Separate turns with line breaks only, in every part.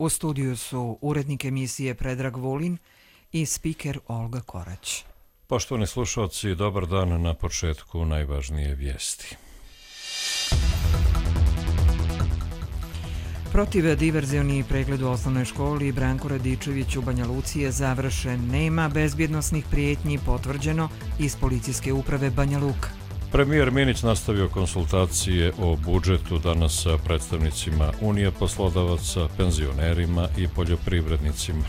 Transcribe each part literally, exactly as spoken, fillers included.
U studiju su urednik emisije Predrag Vulin i spiker Olga Korać.
Poštovani slušalci, dobar dan. Na početku najvažnije vijesti.
Protiv diverzioni pregled u osnovnoj školi Branko Radičević u Banja Luci je završen. Nema bezbjednosnih prijetnji, potvrđeno iz policijske uprave Banja Luka.
Premijer Minić nastavio konsultacije o budžetu danas sa predstavnicima Unije poslodavaca, penzionerima i poljoprivrednicima.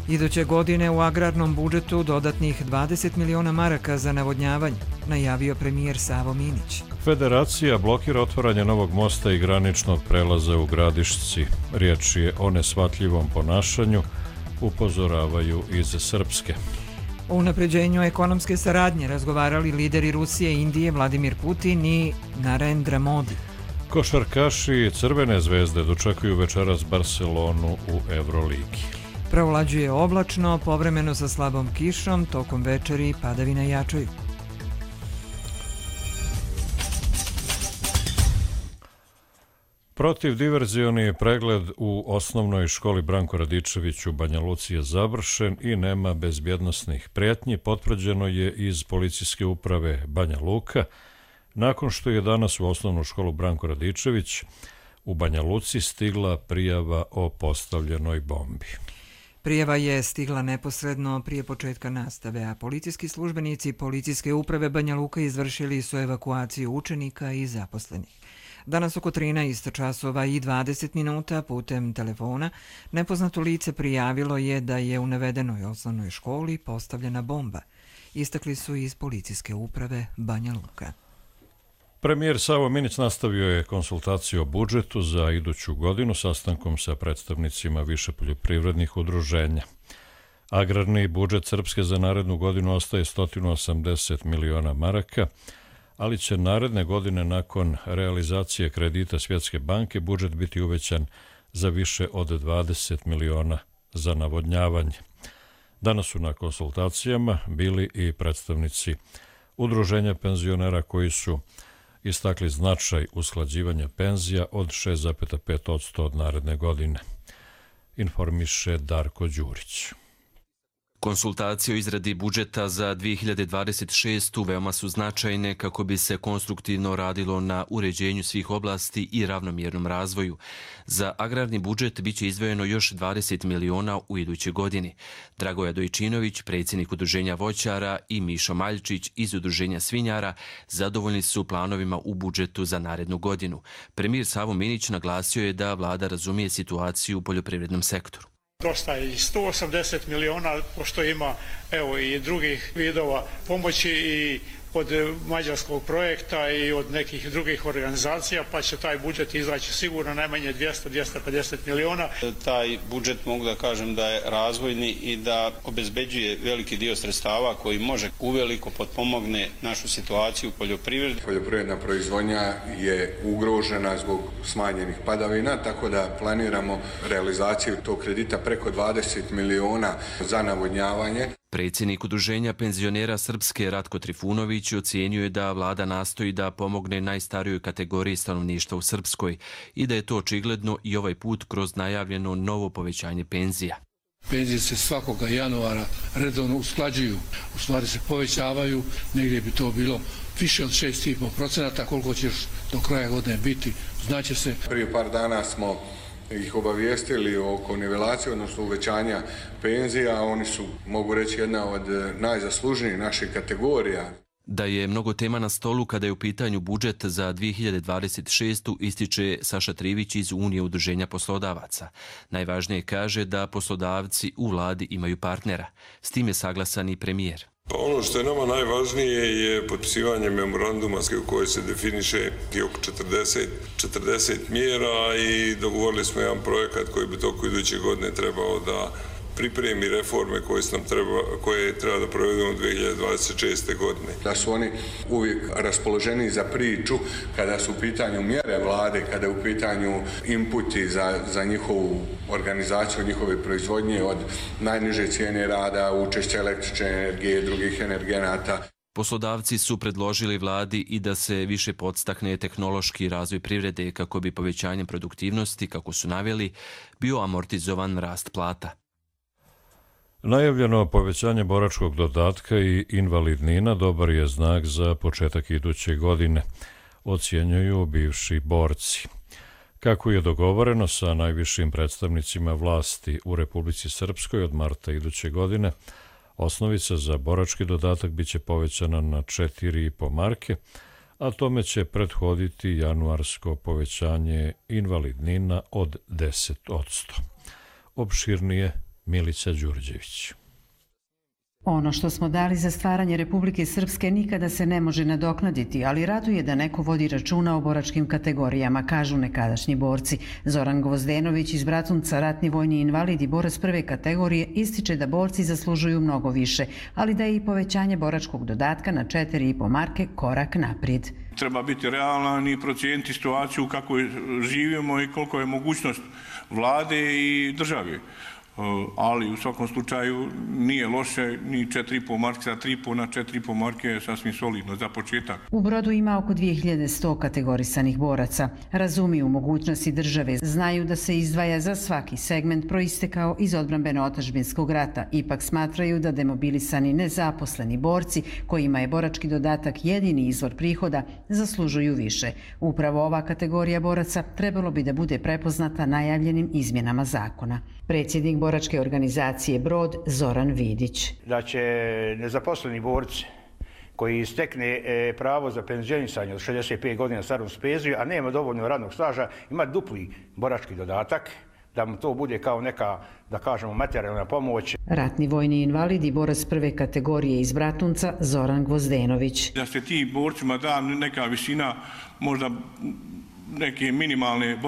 Iduće godine u agrarnom budžetu dodatnih dvadeset miliona maraka za navodnjavanje, najavio premijer Savo Minić.
Federacija blokira otvaranje novog mosta i graničnog prelaza u Gradišci. Riječ je o neshvatljivom ponašanju, upozoravaju iz Srpske.
O unapređenju ekonomske saradnje razgovarali lideri Rusije i Indije Vladimir Putin i Narendra Modi.
Košarkaši Crvene zvezde dočekuju večeras Barcelonu u Evroligi.
Provlađuje oblačno, povremeno sa slabom kišom, tokom večeri padavine jačaju.
Protiv diverzioni pregled u osnovnoj školi Branko Radičević u Banja Luci je završen i nema bezbjednosnih prijetnji, potvrđeno je iz policijske uprave Banja Luka, nakon što je danas u osnovnu školu Branko Radičević u Banja Luci stigla prijava o postavljenoj bombi.
Prijava je stigla neposredno prije početka nastave, a policijski službenici policijske uprave Banja Luka izvršili su evakuaciju učenika i zaposlenih. Danas oko trinaest časova i dvadeset minuta putem telefona nepoznato lice prijavilo je da je u navedenoj osnovnoj školi postavljena bomba. Istakli su iz policijske uprave Banja Luka.
Premijer Savo Minić nastavio je konsultaciju o budžetu za iduću godinu sastankom sa predstavnicima više poljoprivrednih udruženja. Agrarni budžet Srpske za narednu godinu ostaje sto osamdeset miliona maraka, ali će naredne godine nakon realizacije kredita Svjetske banke budžet biti uvećan za više od dvadeset miliona za navodnjavanje. Danas su na konsultacijama bili i predstavnici udruženja penzionera koji su istakli značaj usklađivanja penzija od šest zarez pet posto od naredne godine, informiše Darko Đurić.
Konsultacije o izradi budžeta za dvije hiljade dvadeset šestu veoma su značajne kako bi se konstruktivno radilo na uređenju svih oblasti i ravnomjernom razvoju. Za agrarni budžet biće izdvojeno još dvadeset miliona u idućoj godini. Dragoja Dojčinović, predsjednik udruženja voćara, i Mišo Maljčić iz udruženja svinjara zadovoljni su planovima u budžetu za narednu godinu. Premijer Savo Minić naglasio je da vlada razumije situaciju u poljoprivrednom sektoru.
Dosta je i sto osamdeset miliona, pošto ima evo i drugih vidova pomoći i od mađarskog projekta i od nekih drugih organizacija, pa će taj budžet izaći sigurno najmanje dvjesto do dvjesto pedeset miliona.
Taj budžet mogu da kažem da je razvojni i da obezbeđuje veliki dio sredstava koji može uveliko potpomogne našu situaciju u poljoprivredi.
Poljoprivredna proizvodnja je ugrožena zbog smanjenih padavina, tako da planiramo realizaciju tog kredita preko dvadeset miliona za navodnjavanje.
Predsjednik udruženja penzionera Srpske Ratko Trifunović ocijenio je da vlada nastoji da pomogne najstarijoj kategoriji stanovništva u Srpskoj i da je to očigledno i ovaj put kroz najavljeno novo povećanje penzija.
Penzije se svakoga januara redovno usklađuju, u stvari se povećavaju, negdje bi to bilo više od šest zarez pet posto, koliko će do kraja godine biti, znaće se.
Prije par dana smo ih obavijestili oko nivelacije, odnosno uvećanja penzija. Oni su, mogu reći, jedna od najzaslužnijih naših kategorija.
Da je mnogo tema na stolu kada je u pitanju budžet za dvije hiljade dvadeset šestu ističe Saša Trivić iz Unije udruženja poslodavaca. Najvažnije kaže da poslodavci u vladi imaju partnera. S tim je saglasan i premijer.
Pa ono što je nama najvažnije je potpisivanje memoranduma u kojoj se definiše oko četrdeset, četrdeset mjera i dogovorili smo jedan projekat koji bi toko iduće godine trebao da pripremi reforme koje, nam treba, koje treba da provedemo dvije hiljade dvadeset šeste. godine.
Da su oni uvijek raspoloženi za priču kada su u pitanju mjere vlade, kada je u pitanju inputi za, za njihovu organizaciju, njihove proizvodnje od najniže cijene rada, učešća električne energije, drugih energenata.
Poslodavci su predložili vladi i da se više podstakne tehnološki razvoj privrede kako bi povećanjem produktivnosti, kako su naveli, bio amortizovan rast plata.
Najavljeno povećanje boračkog dodatka i invalidnina dobar je znak za početak iduće godine, ocjenjuju bivši borci. Kako je dogovoreno sa najvišim predstavnicima vlasti u Republici Srpskoj od marta iduće godine, osnovica za borački dodatak biće povećana na četiri i po marke, a tome će prethoditi januarsko povećanje invalidnina od deset odsto. Opširnije Milica Đurđević.
Ono što smo dali za stvaranje Republike Srpske nikada se ne može nadoknaditi, ali raduje da neko vodi računa o boračkim kategorijama, kažu nekadašnji borci. Zoran Gvozdenović iz Bratunca, ratni vojni invalid i borac prve kategorije, ističe da borci zaslužuju mnogo više, ali da je i povećanje boračkog dodatka na četiri i po marke korak naprijed.
Treba biti realan i procijeniti situaciju kako živimo i koliko je mogućnost vlade i države. Ali u svakom slučaju nije loše ni četiri i po marke, sa tri i po na četiri i po marke je sasvim solidno za početak.
U Brodu ima oko dvije hiljade sto kategorisanih boraca. Razumiju mogućnosti države, znaju da se izdvaja za svaki segment proistekao iz odbrambeno-otadžbinskog rata. Ipak smatraju da demobilisani nezaposleni borci, kojima je borački dodatak jedini izvor prihoda, zaslužuju više. Upravo ova kategorija boraca trebalo bi da bude prepoznata najavljenim izmjenama zakona. Predsjednik boračke organizacije Brod Zoran Vidić.
Da će nezaposleni borci koji istekne pravo za penzionisanje od šezdeset pet godina starost penziju, a nema dovoljno radnog staža, ima dupli borački dodatak, da mu to bude kao neka, da kažemo, materijalna pomoć.
Ratni vojni invalid i borac prve kategorije iz Bratunca Zoran Gvozdenović.
Da se ti borcima da neka visina, možda neke minimalne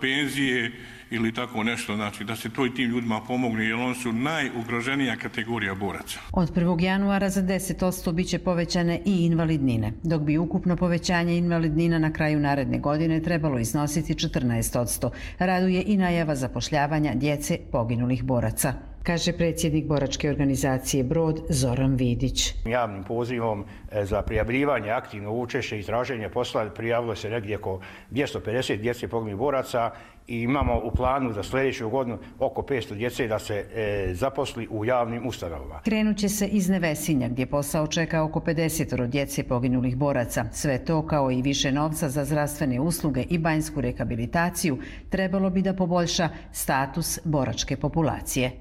penzije ili tako nešto, znači da se to i tim ljudima pomogne, jer oni su najugroženija kategorija boraca.
Od prvog januara za deset odsto biće povećane i invalidnine, dok bi ukupno povećanje invalidnina na kraju naredne godine trebalo iznositi četrnaest odsto. Raduje i najava zapošljavanja djece poginulih boraca, kaže predsjednik boračke organizacije Brod Zoran Vidić.
Javnim pozivom za prijavljivanje, aktivno učešće i traženje posla prijavilo se negdje oko dvjesto pedeset djece poginulih boraca i imamo u planu za sljedeću godinu oko petsto djece da se e, zaposli u javnim ustanovama.
Krenut će se iz Nevesinja, gdje posao čeka oko pedeset djece poginulih boraca. Sve to, kao i više novca za zdravstvene usluge i banjsku rehabilitaciju, trebalo bi da poboljša status boračke populacije.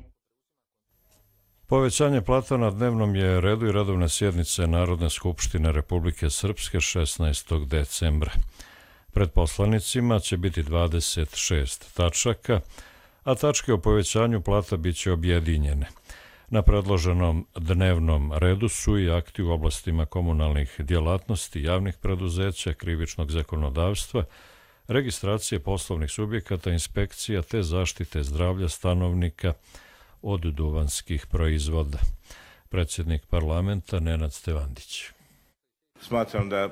Povećanje plata na dnevnom je redu i redovne sjednice Narodne skupštine Republike Srpske šesnaestog decembra. Pred poslanicima će biti dvadeset šest tačaka, a tačke o povećanju plata biće objedinjene. Na predloženom dnevnom redu su i akti u oblastima komunalnih djelatnosti, javnih preduzeća, krivičnog zakonodavstva, registracije poslovnih subjekata, inspekcija te zaštite zdravlja stanovnika od duvanskih proizvoda. Predsjednik parlamenta Nenad Stevandić.
Smatram da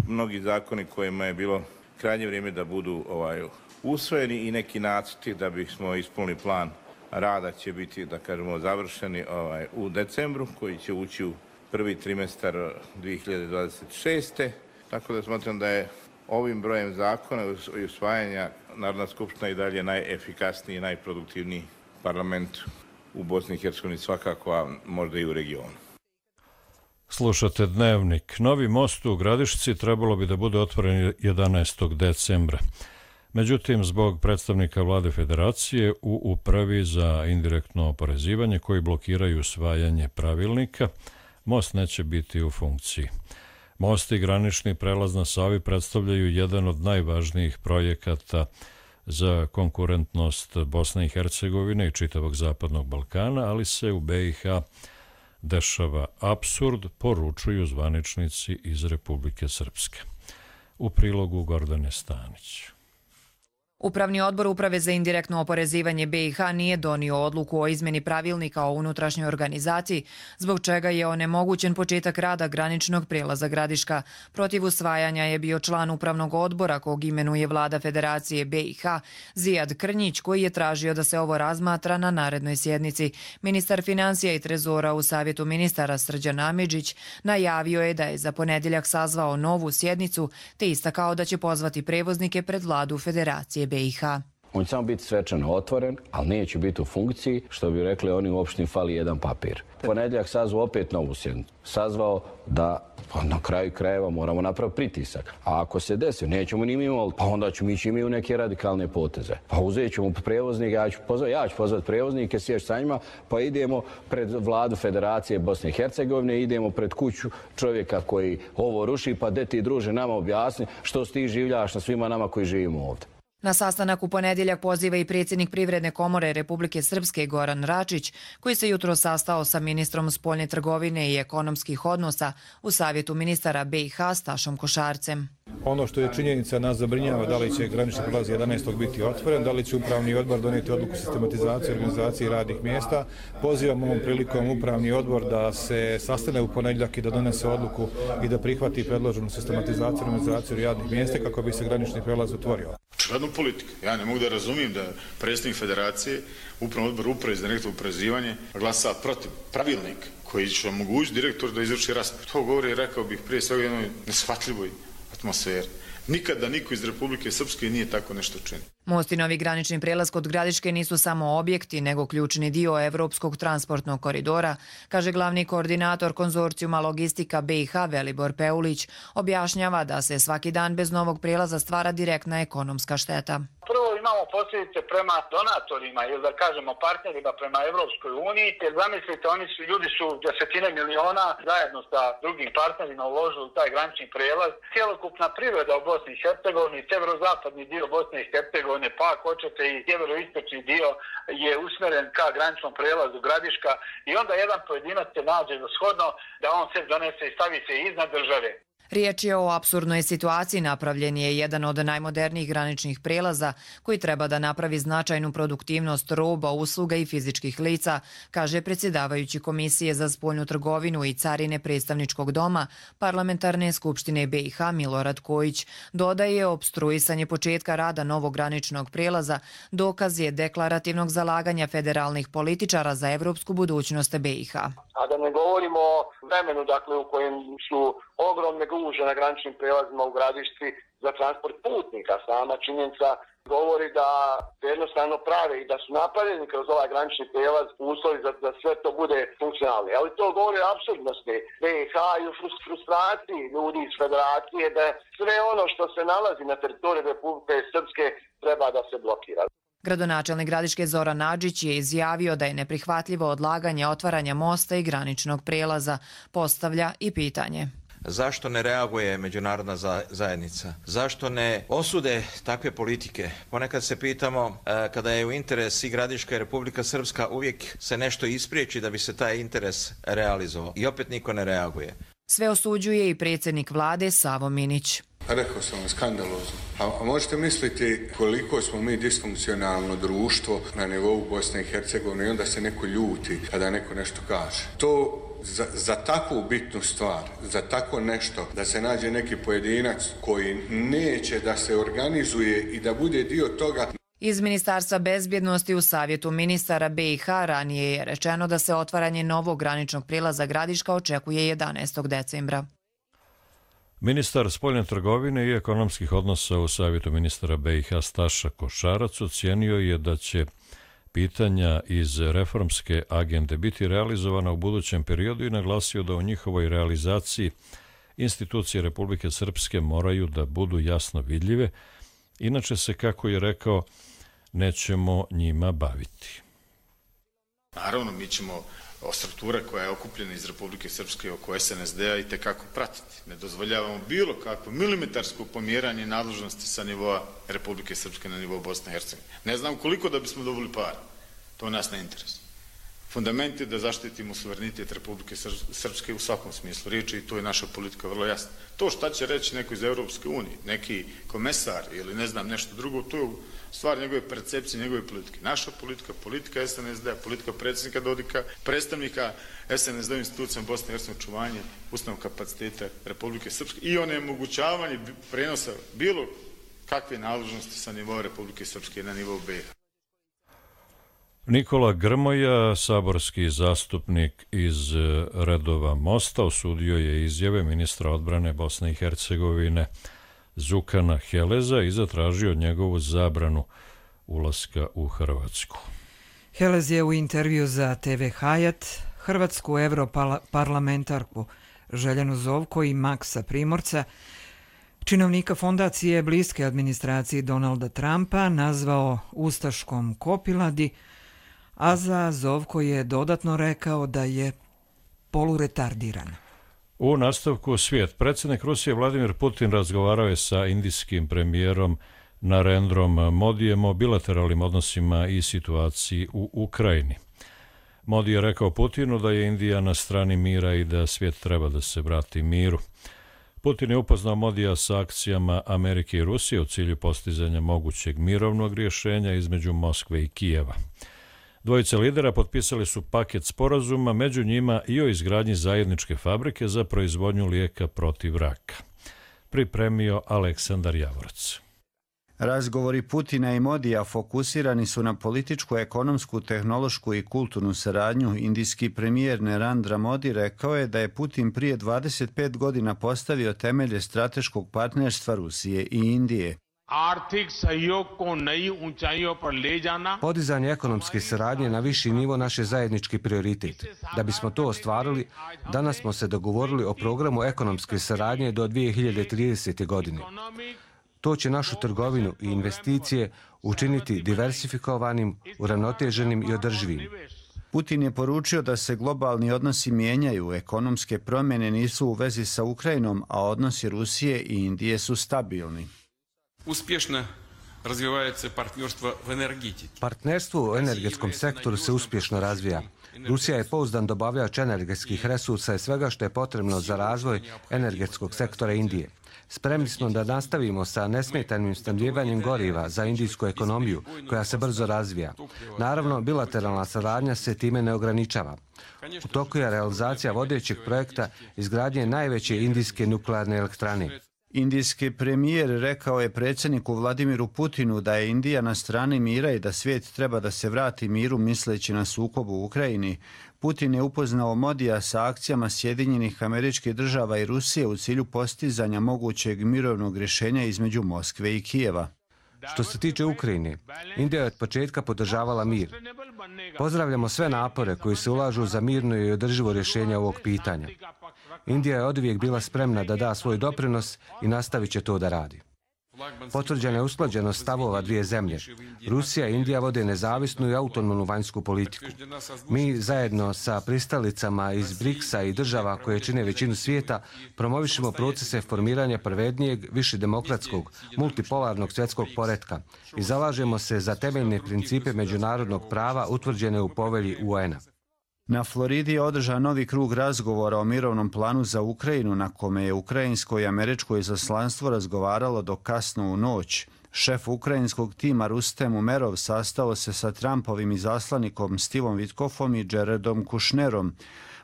mnogi zakoni kojima je bilo krajnje vrijeme da budu ovaj, usvojeni i neki nacrti da bismo ispunili plan rada će biti, da kažemo, završeni ovaj, u decembru, koji će ući u prvi trimestar dvije hiljade dvadeset šeste. Tako da smatram da je ovim brojem zakona i usvajanja Narodna skupština i dalje najefikasniji i najproduktivniji parlament u Bosni i Hercegovini, svakako, a možda i u regionu.
Slušate Dnevnik. Novi most u Gradišci trebalo bi da bude otvoren jedanaestog decembra. Međutim, zbog predstavnika vlade federacije u upravi za indirektno oporezivanje koji blokiraju usvajanje pravilnika, most neće biti u funkciji. Most i granični prelaz na Savi predstavljaju jedan od najvažnijih projekata za konkurentnost Bosne i Hercegovine i čitavog Zapadnog Balkana, ali se u be i ha dešava apsurd, poručuju zvaničnici iz Republike Srpske. U prilogu Gordane Stanić.
Upravni odbor Uprave za indirektno oporezivanje B i H nije donio odluku o izmeni pravilnika o unutrašnjoj organizaciji, zbog čega je onemogućen početak rada graničnog prijelaza Gradiška. Protiv usvajanja je bio član upravnog odbora kog imenuje vlada Federacije B i H, Zijad Krnjić, koji je tražio da se ovo razmatra na narednoj sjednici. Ministar financija i trezora u Savjetu ministara Srđan Amidžić najavio je da je za ponedjeljak sazvao novu sjednicu, te istakao da će pozvati prevoznike pred vladu Federacije B i H.
On će samo biti svečano otvoren, ali neće biti u funkciji, što bi rekli oni u opštini fali jedan papir. Ponedjeljak sazvao opet novu sjednicu. Sazvao da pa na kraju krajeva moramo napraviti pritisak. A ako se desi, nećemo ni mi imati, pa onda ćemo ići mi u neke radikalne poteze. Pa uzet ćemo prevoznike, ja ću pozvati, ja ću pozvati prevoznike, sjeć sa njima, pa idemo pred vladu Federacije Bosne i Hercegovine, idemo pred kuću čovjeka koji ovo ruši, pa de ti druže nama objasni što ti življaš na svima nama koji živimo ovdje.
Na sastanak u ponedjeljak poziva i predsjednik Privredne komore Republike Srpske Goran Račić, koji se jutro sastao sa ministrom spoljne trgovine i ekonomskih odnosa u Savjetu ministara B i H Stašom Košarcem.
Ono što je činjenica nas zabrinjava da li će granični prijelaz jedanaestog biti otvoren, da li će upravni odbor donijeti odluku sistematizacije, organizacije radnih mjesta. Pozivam ovom prilikom upravni odbor da se sastane u ponedjeljak i da donese odluku i da prihvati predloženu sistematizaciju, organizaciju radnih mjesta kako bi se granični prijelaz otvorio.
Očigledno politika. Ja ne mogu da razumijem da predsjednik Federacije, upravni odbor Uprave za direktno oporezivanje glasa protiv pravilnika koji će omogućiti direktor da izvrši raspored. To govori, rekao bih, prije svega jednoj neshvatljivoj atmosferi. Nikada niko iz Republike Srpske nije tako nešto činio.
Most i novi granični prijelaz kod Gradiške nisu samo objekti, nego ključni dio Evropskog transportnog koridora, kaže glavni koordinator konzorcijuma Logistika B i H Velibor Peulić. Objašnjava da se svaki dan bez novog prijelaza stvara direktna ekonomska šteta.
Prvo imamo posljedice prema donatorima ili da kažemo partnerima prema Evropskoj uniji, jer zamislite, oni su, ljudi su desetine miliona zajedno sa drugim partnerima uložili u taj granični prijelaz. Cijelokupna privreda u Bosni i Hercegovini, severozapadni dio Bosne i Hercegovine, pa ako hoćete i sjeveroistočni dio je usmjeren ka graničnom prijelazu Gradiška i onda jedan pojedinac se nađe za shodno da on se donese i stavi se iznad države.
Riječ je o apsurdnoj situaciji. Napravljen je jedan od najmodernijih graničnih prijelaza koji treba da napravi značajnu produktivnost roba, usluga i fizičkih lica, kaže predsjedavajući Komisije za spoljnu trgovinu i carine predstavničkog doma Parlamentarne skupštine B i H Milorad Kojić. Dodaje, opstruisanje početka rada novog graničnog prijelaza dokaz je deklarativnog zalaganja federalnih političara za evropsku budućnost B i H.
A da ne govorimo o vremenu, dakle, u kojem su ogromne gužve na graničnim prijelazima u Gradišci za transport putnika. Sama činjenica govori da jednostavno prave i da su napravljeni kroz ovaj granični prijelaz uslovi za da sve to bude funkcionalno. Ali to govori o apsurdnosti B i H i o frustraciji ljudi iz Federacije da sve ono što se nalazi na teritoriju Republike Srpske treba da se blokira.
Gradonačelnik Gradiške Zoran Nadžić je izjavio da je neprihvatljivo odlaganje otvaranja mosta i graničnog prijelaza. Postavlja i pitanje.
Zašto ne reaguje međunarodna zajednica? Zašto ne osude takve politike? Ponekad se pitamo, kada je u interes i Gradiška i Republika Srpska, uvijek se nešto ispriječi da bi se taj interes realizovao. I opet niko ne reaguje.
Sve osuđuje i predsjednik vlade Savo Minić.
Rekao sam vam, skandalozno. A, a možete misliti koliko smo mi disfunkcionalno društvo na nivou Bosne i Hercegovine i onda se neko ljuti kada neko nešto kaže. To za, za takvu bitnu stvar, za tako nešto, da se nađe neki pojedinac koji neće da se organizuje i da bude dio toga.
Iz Ministarstva bezbjednosti u Savjetu ministara B i H ranije je rečeno da se otvaranje novog graničnog prijelaza Gradiška očekuje jedanaestog decembra.
Ministar spoljne trgovine i ekonomskih odnosa u Savjetu ministara B i H Staša Košarac ocijenio je da će pitanja iz reformske agende biti realizovana u budućem periodu i naglasio da u njihovoj realizaciji institucije Republike Srpske moraju da budu jasno vidljive, inače se, kako je rekao, nećemo njima baviti.
Naravno, mi ćemo o strukture koja je okupljena iz Republike Srpske oko S N S D-a i tekako pratiti. Ne dozvoljavamo bilo kakvo milimetarsko pomjeranje nadležnosti sa nivoa Republike Srpske na nivou Bosne i Hercegovine. Ne znam koliko da bismo dobili para. To nas ne interesuje. Fundament je da zaštitimo suverenitet Republike Srpske u svakom smislu riječi i to je naša politika vrlo jasna. To šta će reći neko iz Europske unije, neki komesar ili ne znam nešto drugo, to je stvar njegove percepcije, njegove politike. Naša politika, politika S N S D-a, politika predsjednika Dodika, predstavnika S N S D-a institucijama Bosne i Hercegovine, očuvanje ustavnog kapaciteta Republike Srpske i onemogućavanje prenosa bilo kakve nadležnosti sa nivoa Republike Srpske na nivou B i H.
Nikola Grmoja, saborski zastupnik iz redova Mosta, osudio je izjave ministra odbrane Bosne i Hercegovine Zukana Heleza i zatražio njegovu zabranu ulaska u Hrvatsku.
Helez je u intervju za T V Hayat hrvatsku europarlamentarku Željanu Zovko i Maksa Primorca, činovnika fondacije bliske administraciji Donalda Trumpa, nazvao ustaškom kopiladi, a za Zovko je dodatno rekao da je poluretardiran.
U nastavku svijet. Predsjednik Rusije Vladimir Putin razgovarao je sa indijskim premijerom Narendrom Modijem o bilateralnim odnosima i situaciji u Ukrajini. Modi je rekao Putinu da je Indija na strani mira i da svijet treba da se vrati miru. Putin je upoznao Modija sa akcijama Amerike i Rusije u cilju postizanja mogućeg mirovnog rješenja između Moskve i Kijeva. Dvojice lidera potpisali su paket sporazuma, među njima i o izgradnji zajedničke fabrike za proizvodnju lijeka protiv raka. Pripremio Aleksandar Javorac.
Razgovori Putina i Modija fokusirani su na političku, ekonomsku, tehnološku i kulturnu saradnju. Indijski premijer Narendra Modi rekao je da je Putin prije dvadeset pet godina postavio temelje strateškog partnerstva Rusije i Indije.
Podizanje ekonomske saradnje na viši nivo naš je zajednički prioritet. Da bismo to ostvarili, danas smo se dogovorili o programu ekonomske saradnje do dvije hiljade tridesete. godine. To će našu trgovinu i investicije učiniti diversifikovanim, uravnoteženim i održivim.
Putin je poručio da se globalni odnosi mijenjaju, ekonomske promjene nisu u vezi sa Ukrajinom, a odnosi Rusije i Indije su stabilni.
Uspješno razvija se partnerstvo u energetici.
Partnerstvo u energetskom sektoru se uspješno razvija. Rusija je pouzdan dobavljač energetskih resursa i svega što je potrebno za razvoj energetskog sektora Indije. Spremni smo da nastavimo sa nesmetanim snabdjevanjem goriva za indijsku ekonomiju koja se brzo razvija. Naravno, bilateralna saradnja se time ne ograničava. U toku je realizacija vodećeg projekta izgradnje najveće indijske nuklearne elektrane.
Indijski premijer rekao je predsjedniku Vladimiru Putinu da je Indija na strani mira i da svijet treba da se vrati miru misleći na sukob u Ukrajini. Putin je upoznao Modija sa akcijama Sjedinjenih Američkih Država i Rusije u cilju postizanja mogućeg mirovnog rješenja između Moskve i Kijeva.
Što se tiče Ukrajine, Indija je od početka podržavala mir. Pozdravljamo sve napore koji se ulažu za mirno i održivo rješenje ovog pitanja. Indija je oduvijek bila spremna da da svoj doprinos i nastavit će to da radi. Potvrđena je usklađenost stavova dvije zemlje. Rusija i Indija vode nezavisnu i autonomnu vanjsku politiku. Mi zajedno sa pristalicama iz briksa i država koje čine većinu svijeta promovišemo procese formiranja pravednijeg, više demokratskog, multipolarnog svjetskog poretka i zalažemo se za temeljne principe međunarodnog prava utvrđene u povelji U N-a.
Na Floridi je održan novi krug razgovora o mirovnom planu za Ukrajinu, na kome je ukrajinsko i američko izaslanstvo razgovaralo do kasno u noć. Šef ukrajinskog tima Rustem Umerov sastao se sa Trumpovim izaslanikom Stevom Witkofom i Jaredom Kushnerom.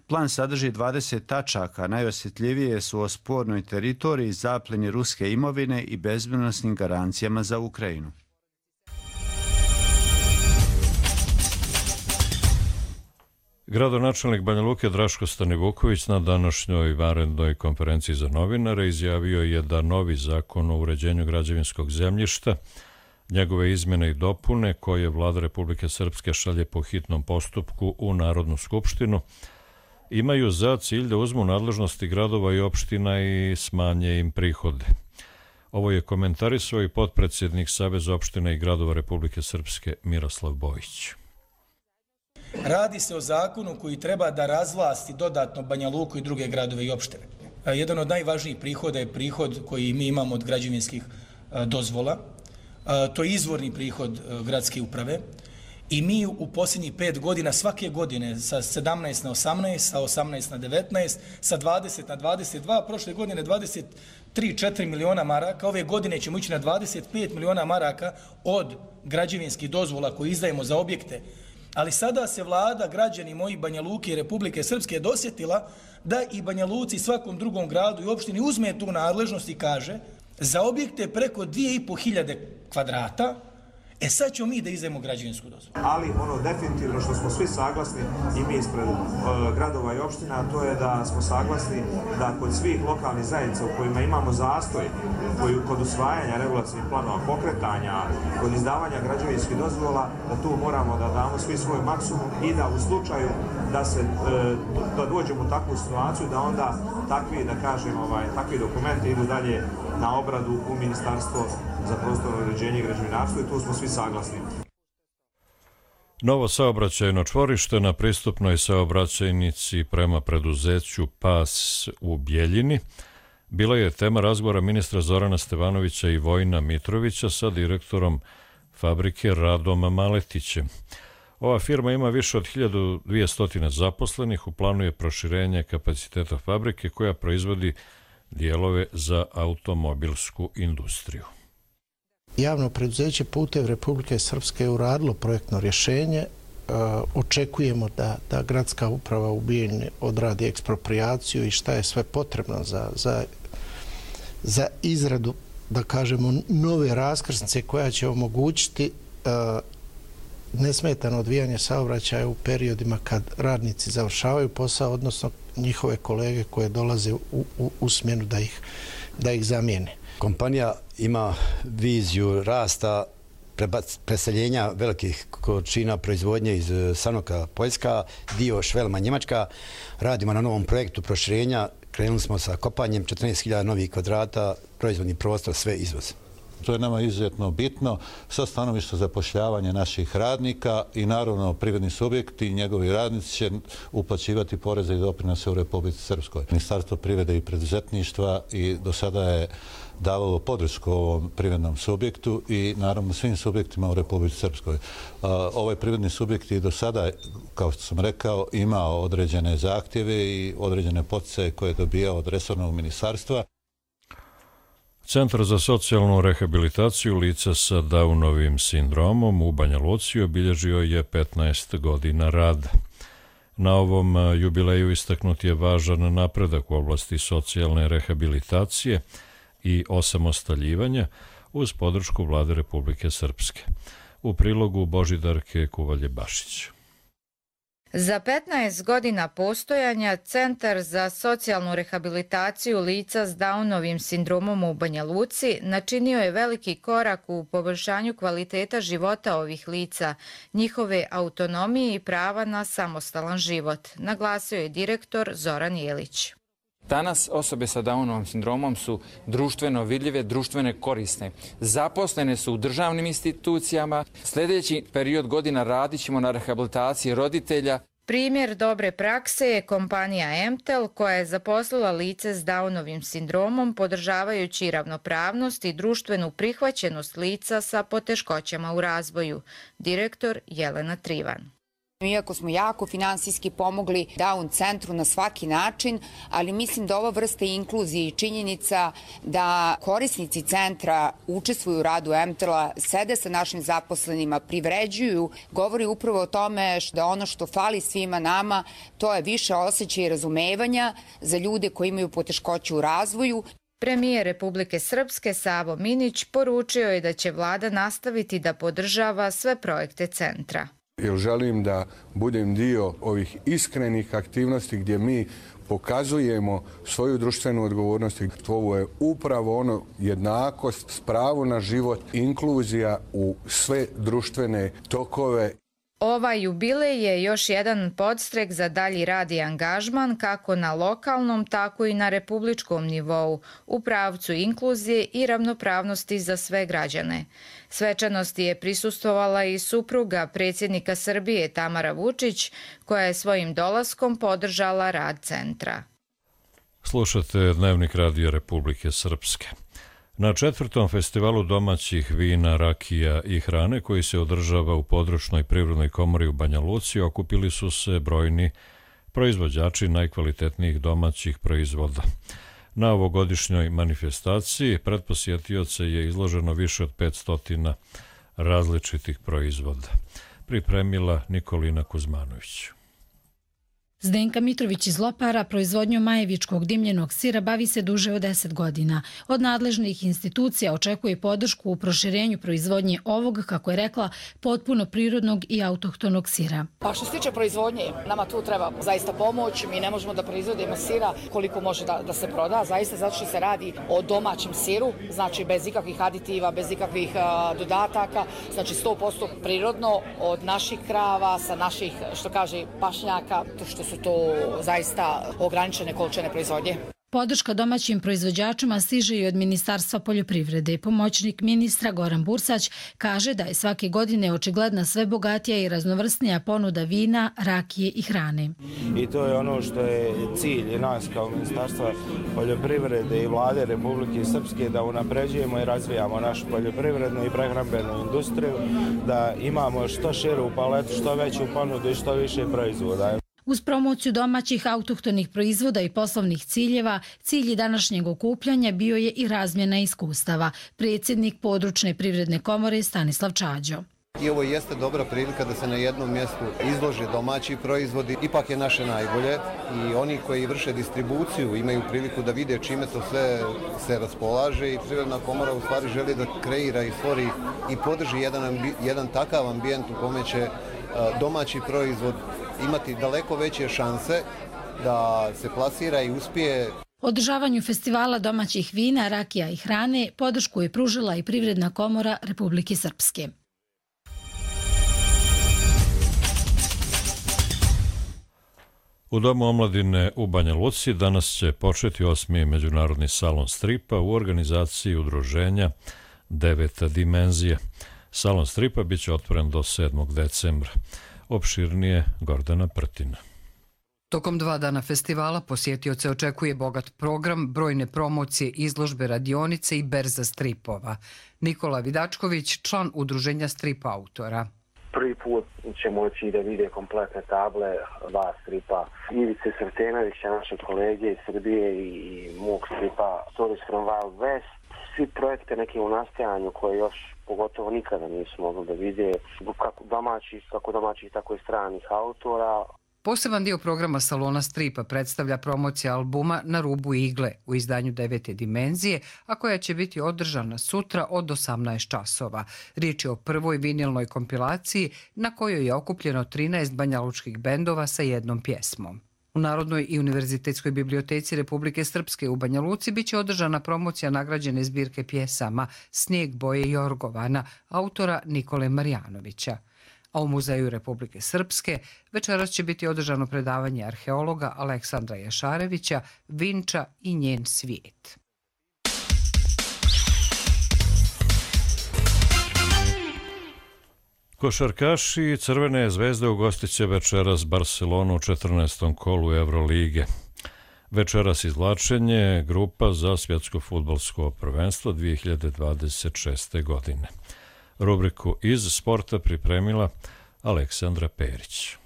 Plan sadrži dvadeset tačaka, najosjetljivije su o spornoj teritoriji, zapljeni ruske imovine i bezbednosnim garancijama za Ukrajinu.
Gradonačelnik Banja Luke Draško Stanivuković na današnjoj vanrednoj konferenciji za novinare izjavio je da novi zakon o uređenju građevinskog zemljišta, njegove izmjene i dopune koje Vlada Republike Srpske šalje po hitnom postupku u Narodnu skupštinu, imaju za cilj da uzmu nadležnosti gradova i opština i smanje im prihode. Ovo je komentarisao i potpredsjednik Saveza opština i gradova Republike Srpske Miroslav Bojić.
Radi se o zakonu koji treba da razvlasti dodatno Banja Luku i druge gradove i opštine. Jedan od najvažnijih prihoda je prihod koji mi imamo od građevinskih dozvola. To je izvorni prihod gradske uprave I mi u posljednjih pet godina, svake godine, sa sedamnaest na osamnaest, sa osamnaest na devetnaest, sa dvadeset na dvadeset dva, prošle godine dvadeset tri četiri miliona maraka, ove godine ćemo ići na dvadeset pet miliona maraka od građevinskih dozvola koje izdajemo za objekte. Ali sada se vlada, građani moji Banja Luke i Republike Srpske dosjetila da i Banja Luci, svakom drugom gradu i opštini uzme tu nadležnost i kaže za objekte preko dvije i po hiljade kvadrata, e sad ćemo mi da izdajemo građevinsku dozvolu.
Ali ono definitivno što smo svi saglasni i mi ispred uh, gradova i opština, to je da smo saglasni da kod svih lokalnih zajednica u kojima imamo zastoj, koji kod usvajanja regulacijnih planova, pokretanja, kod izdavanja građevinskih dozvola, da tu moramo da damo svi svoj maksimum i da u slučaju da se uh, da dođemo u takvu situaciju da onda takvi, da kažem, ovaj, takvi dokumenti idu dalje na obradu u Ministarstvo za prostorno uređenje i građevinarstvo i tu smo svi saglasni.
Novo saobraćajno čvorište na pristupnoj saobraćajnici prema preduzeću Pas u Bjeljini bila je tema razgovora ministra Zorana Stevanovića i Vojina Mitrovića sa direktorom fabrike Radom Maletićem. Ova firma ima više od hiljadu dvjesto zaposlenih, u planu je proširenje kapaciteta fabrike koja proizvodi dijelove za automobilsku industriju.
Javno preduzeće Putevi Republike Srpske je uradilo projektno rješenje. E, očekujemo da, da gradska uprava u Bijeljini odradi eksproprijaciju i šta je sve potrebno za, za, za izradu, da kažemo, nove raskrsnice koja će omogućiti e, nesmetano odvijanje saobraćaja u periodima kad radnici završavaju posao, odnosno njihove kolege koje dolaze u, u, u smjenu da ih, da ih zamijene.
Kompanija ima viziju rasta, preseljenja velikih količina proizvodnje iz Sanoka Poljska, dio Švelma Njemačka. Radimo na novom projektu proširenja. Krenuli smo sa kopanjem četrnaest hiljada novih kvadrata, proizvodni prostor, sve izvoz.
To je nama izuzetno bitno sa stanovišta zapošljavanja naših radnika i naravno privredni subjekti i njegovi radnici će uplaćivati poreze i doprinose u Republici Srpskoj. Ministarstvo privrede i preduzetništva i do sada je davalo podršku ovom privrednom subjektu i naravno svim subjektima u Republici Srpskoj. Ovaj privredni subjekt i do sada, kao što sam rekao, imao određene zahtjeve i određene poticaje koje je dobijao od resornog ministarstva.
Centar za socijalnu rehabilitaciju lica sa Downovim sindromom u Banja Luci obilježio je petnaest godina rada. Na ovom jubileju istaknut je važan napredak u oblasti socijalne rehabilitacije i osamostaljivanja uz podršku Vlade Republike Srpske. U prilogu Božidarke Kuvalje-Bašić.
Za petnaest godina postojanja Centar za socijalnu rehabilitaciju lica s Downovim sindromom u Banja Luci načinio je veliki korak u poboljšanju kvaliteta života ovih lica, njihove autonomije i prava na samostalan život, naglasio je direktor Zoran Jelić.
Danas osobe sa Downovim sindromom su društveno vidljive, društvene korisne. Zaposlene su u državnim institucijama. Sljedeći period godina radit ćemo na rehabilitaciji roditelja.
Primjer dobre prakse je kompanija Emtel koja je zaposlila lice s Downovim sindromom podržavajući ravnopravnost i društvenu prihvaćenost lica sa poteškoćama u razvoju. Direktor Jelena Trivan.
Iako smo jako finansijski pomogli Down centru na svaki način, ali mislim da ova vrsta inkluzije i činjenica da korisnici centra učestvuju u radu Emtela, sede sa našim zaposlenima, privređuju, govori upravo o tome da ono što fali svima nama, to je više osjećaja i razumevanja za ljude koji imaju poteškoću u razvoju.
Premijer Republike Srpske Savo Minić poručio je da će vlada nastaviti da podržava sve projekte centra.
Jer želim da budem dio ovih iskrenih aktivnosti gdje mi pokazujemo svoju društvenu odgovornost. Ovo je upravo ono jednakost, pravo na život, inkluzija u sve društvene tokove.
Ovaj jubilej je još jedan podstrek za dalji rad i angažman kako na lokalnom, tako i na republičkom nivou u pravcu inkluzije i ravnopravnosti za sve građane. Svečanosti je prisustvovala i supruga predsjednika Srbije Tamara Vučić, koja je svojim dolaskom podržala rad centra.
Slušate Dnevnik Radija Republike Srpske. Na četvrtom festivalu domaćih vina, rakija i hrane koji se održava u područnoj privrednoj komori u Banja Luci okupili su se brojni proizvođači najkvalitetnijih domaćih proizvoda. Na ovogodišnjoj manifestaciji pred posjetioce je izloženo više od petsto različitih proizvoda. Pripremila Nikolina Kuzmanović.
Zdenka Mitrović iz Lopara proizvodnjom majevičkog dimljenog sira bavi se duže od deset godina. Od nadležnih institucija očekuje podršku u proširenju proizvodnje ovog, kako je rekla, potpuno prirodnog i autohtonog sira.
Pa što se tiče proizvodnje, nama tu treba zaista pomoć. Mi ne možemo da proizvodimo sira koliko može da, da se proda, zaista zato što se radi o domaćem siru, znači bez ikakvih aditiva, bez ikakvih a, dodataka, znači sto posto prirodno od naših krava, sa naših, što kaže, pašnjaka, to što su to zaista ograničene količine proizvodnje.
Podrška domaćim proizvođačima stiže i od Ministarstva poljoprivrede. Pomoćnik ministra Goran Bursać kaže da je svake godine očigledna sve bogatija i raznovrsnija ponuda vina, rakije i hrane.
I to je ono što je cilj nas kao Ministarstva poljoprivrede i Vlade Republike Srpske, da unapređujemo i razvijamo našu poljoprivrednu i prehrambenu industriju, da imamo što širu paletu, što veću ponudu i što više proizvoda.
Uz promociju domaćih autohtonih proizvoda i poslovnih ciljeva, cilj današnjeg okupljanja bio je i razmjena iskustava. Predsjednik područne privredne komore Stanislav Čađo.
I ovo jeste dobra prilika da se na jednom mjestu izlože domaći proizvodi, ipak je naše najbolje i oni koji vrše distribuciju imaju priliku da vide čime to sve se raspolaže i Privredna komora u stvari želi da kreira i stvori i podrži jedan, jedan takav ambijent u kome će domaći proizvod imati daleko veće šanse da se plasira i uspije.
Održavanju festivala domaćih vina, rakija i hrane podršku je pružila i Privredna komora Republike Srpske.
U Domu omladine u Banja Luci danas će početi osmi međunarodni salon stripa u organizaciji udruženja Deveta dimenzija. Salon stripa biće otvoren do sedmog decembra. Opširnije Gordana Prtina.
Tokom dva dana festivala posjetioce očekuje bogat program, brojne promocije, izložbe, radionice i berza stripova. Nikola Vidačković, član udruženja strip autora.
Prvi put će moći da vide kompletne table, dva stripa Ivice Srtenovića, naše kolege iz Srbije i mog stripa Stories from Wild West. Svi projekte neke u nastajanju koje još pogotovo nikada nisu mogli da vide, kako domaćih, kako domaćih, tako i stranih autora.
Poseban dio programa Salona stripa predstavlja promocija albuma Na rubu igle u izdanju Devete dimenzije, a koja će biti održana sutra od osamnaest časova. Riječ je o prvoj vinilnoj kompilaciji na kojoj je okupljeno trinaest banjalučkih bendova sa jednom pjesmom. U Narodnoj i univerzitetskoj biblioteci Republike Srpske u Banja Luci biće održana promocija nagrađene zbirke pjesama Snijeg boje Jorgovana, autora Nikole Marjanovića. A u Muzeju Republike Srpske večeras će biti održano predavanje arheologa Aleksandra Jašarevića Vinča i njen svijet.
Košarkaši Crvene zvezde ugostit će večeras Barcelonu u četrnaestom kolu Evrolige. Večeras izvlačenje grupa za svjetsko fudbalsko prvenstvo dvije hiljade dvadeset šeste. godine. Rubriku iz sporta pripremila Aleksandra Perić.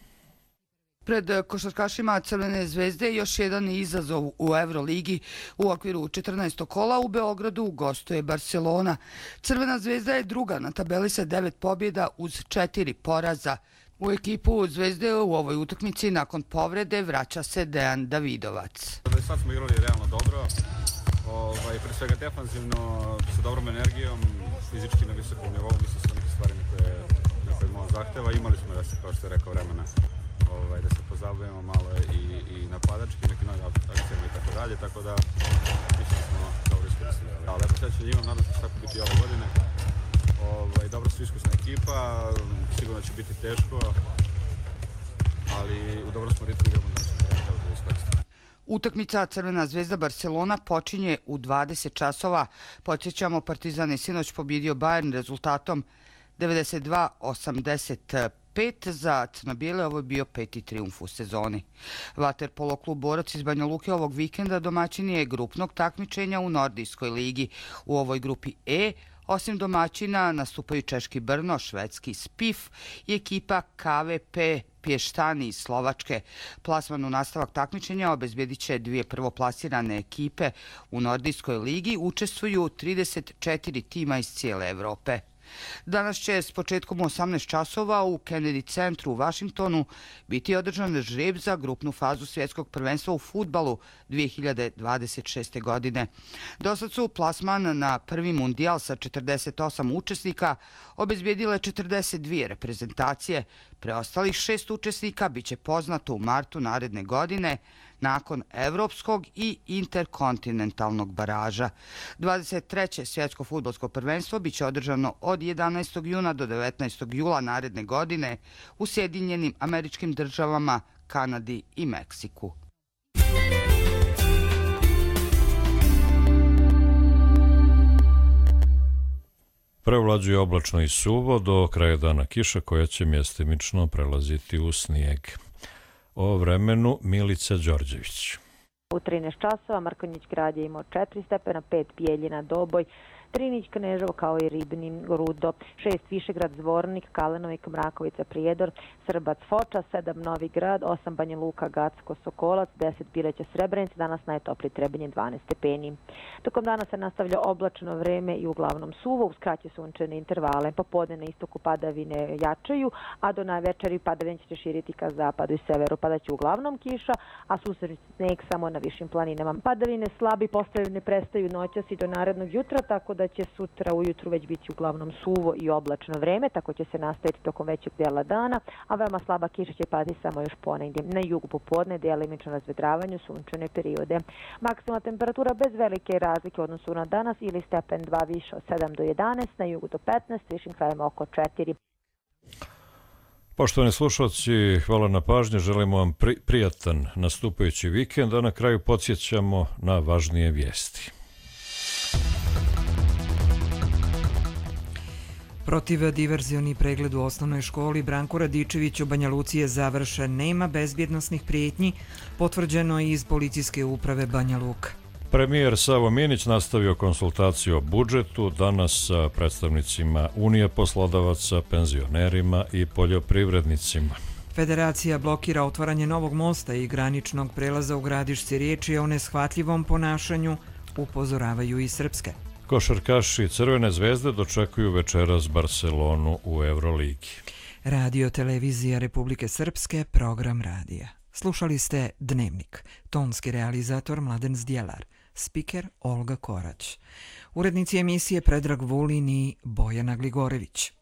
Pred košarkašima Crvene zvezde još jedan izazov u Evroligi. U okviru četrnaestog kola u Beogradu gostuje Barcelona. Crvena zvezda je druga na tabeli sa devet pobjeda uz četiri poraza. U ekipu Zvezde u ovoj utakmici nakon povrede vraća se Dejan Davidovac.
Sad smo igrali realno dobro, ovaj, pre svega defanzivno, sa dobrom energijom, fizički na visokom nivou, mislim sa neke stvari koje, koje možemo zahteva. Imali smo da se, kao što je rekao, vremena ovaj, da se pozabavimo malo i, i napadački, neki novi akcijama i tako dalje, tako da mislim da smo dobro iskoristili. Da, lepo sveće imam, nadam se da će tako biti i ove godine. Ovaj, dobro su iskusna ekipa, sigurno će biti teško, ali u dobro smo ritmu igramo da ćemo da iskoristimo.
Utakmica Crvena zvezda Barcelona počinje u dvadeset časova. Podsjećamo, Partizan je sinoć pobjedio Bayern rezultatom devedeset dva osamdeset pet, za crno-bijele ovo je bio peti trijumf u sezoni. Vaterpolo klub Borac iz Banja Luke ovog vikenda domaćin je grupnog takmičenja u Nordijskoj ligi. U ovoj grupi E, osim domaćina, nastupaju češki Brno, švedski Spif i ekipa K V P Pještani iz Slovačke. Plasman u nastavak takmičenja obezbjedit će dvije prvoplasirane ekipe. U Nordijskoj ligi učestvuju trideset četiri tima iz cijele Evrope. Danas će s početkom u osamnaest časova u Kennedy centru u Vašingtonu biti održan žreb za grupnu fazu svjetskog prvenstva u fudbalu dvije hiljade dvadeset šeste. godine. Dosad su plasman na prvi mundijal sa četrdeset osam učesnika obezbijedile četrdeset dvije reprezentacije. Preostalih šest učesnika bit će poznato u martu naredne godine nakon evropskog i interkontinentalnog baraža. dvadeset treće svjetsko fudbalsko prvenstvo bit će održano od jedanaestog juna do devetnaestog jula naredne godine u Sjedinjenim Američkim Državama, Kanadi i Meksiku.
Prevlađuje oblačno i suvo, do kraja dana kiša koja će mjestimično prelaziti u snijeg. O vremenu Milica Đorđević.
U trinaest časova Mrkonjić grad je imao četiri stepena, pet Bijeljina, Doboj, Trinić, Kneževo kao i Ribnin, Rudo, šest Višegrad, Zvornik, Kalenovik, Mrakovica, Prijedor, Srbac, Foča, sedam Novi Grad, osam Banja Luka, Gacko, Sokolac, deset Bileća, Srebrenica, danas najtopliji Trebinje dvanaest stepeni. Tokom dana se nastavlja oblačno vreme i uglavnom suvo, uz kraće sunčane intervale. Popodne na istoku padavine jačaju, a do največeri padavine će se širiti ka zapadu i severu. Padaće uglavnom kiša, a susretni sneg samo na višim planinama. Padavine slabi postaju ne prestaju noćas i do narednog jutra, tako da će sutra ujutru već biti uglavnom suvo i oblačno vreme, tako će se nastaviti tokom većeg dijela dana, a veoma slaba kiša će padati samo još ponegdje. Na jugu popodne delimično razvedravanje, sunčane periode. Maksimalna temperatura bez velike razlike u odnosu na danas ili stepen dva više od sedam do jedanaest, na jugu do petnaest, višim krajima oko četiri.
Poštovani slušalci, hvala na pažnje, želimo vam pri, prijatan nastupajući vikend, a na kraju podsjećamo na važnije vijesti.
Protiv diverzioni pregled u osnovnoj školi Branko Radičević u Banja Luci je završen. Nema bezbjednosnih prijetnji, potvrđeno je iz policijske uprave Banja Luka.
Premijer Savo Minić nastavio konsultaciju o budžetu danas sa predstavnicima Unije poslodavaca, penzionerima i poljoprivrednicima.
Federacija blokira otvaranje novog mosta i graničnog prelaza u Gradišci. Riječ je o neshvatljivom ponašanju, upozoravaju i srpske.
Košarkaši Crvene zvezde dočekuju večeras Barcelonu u Euroligi.
Radio Televizija Republike Srpske, program radija. Slušali ste Dnevnik, tonski realizator Mladen Zdjelar, spiker Olga Korać, urednici emisije Predrag Vulin i Bojana Gligorević.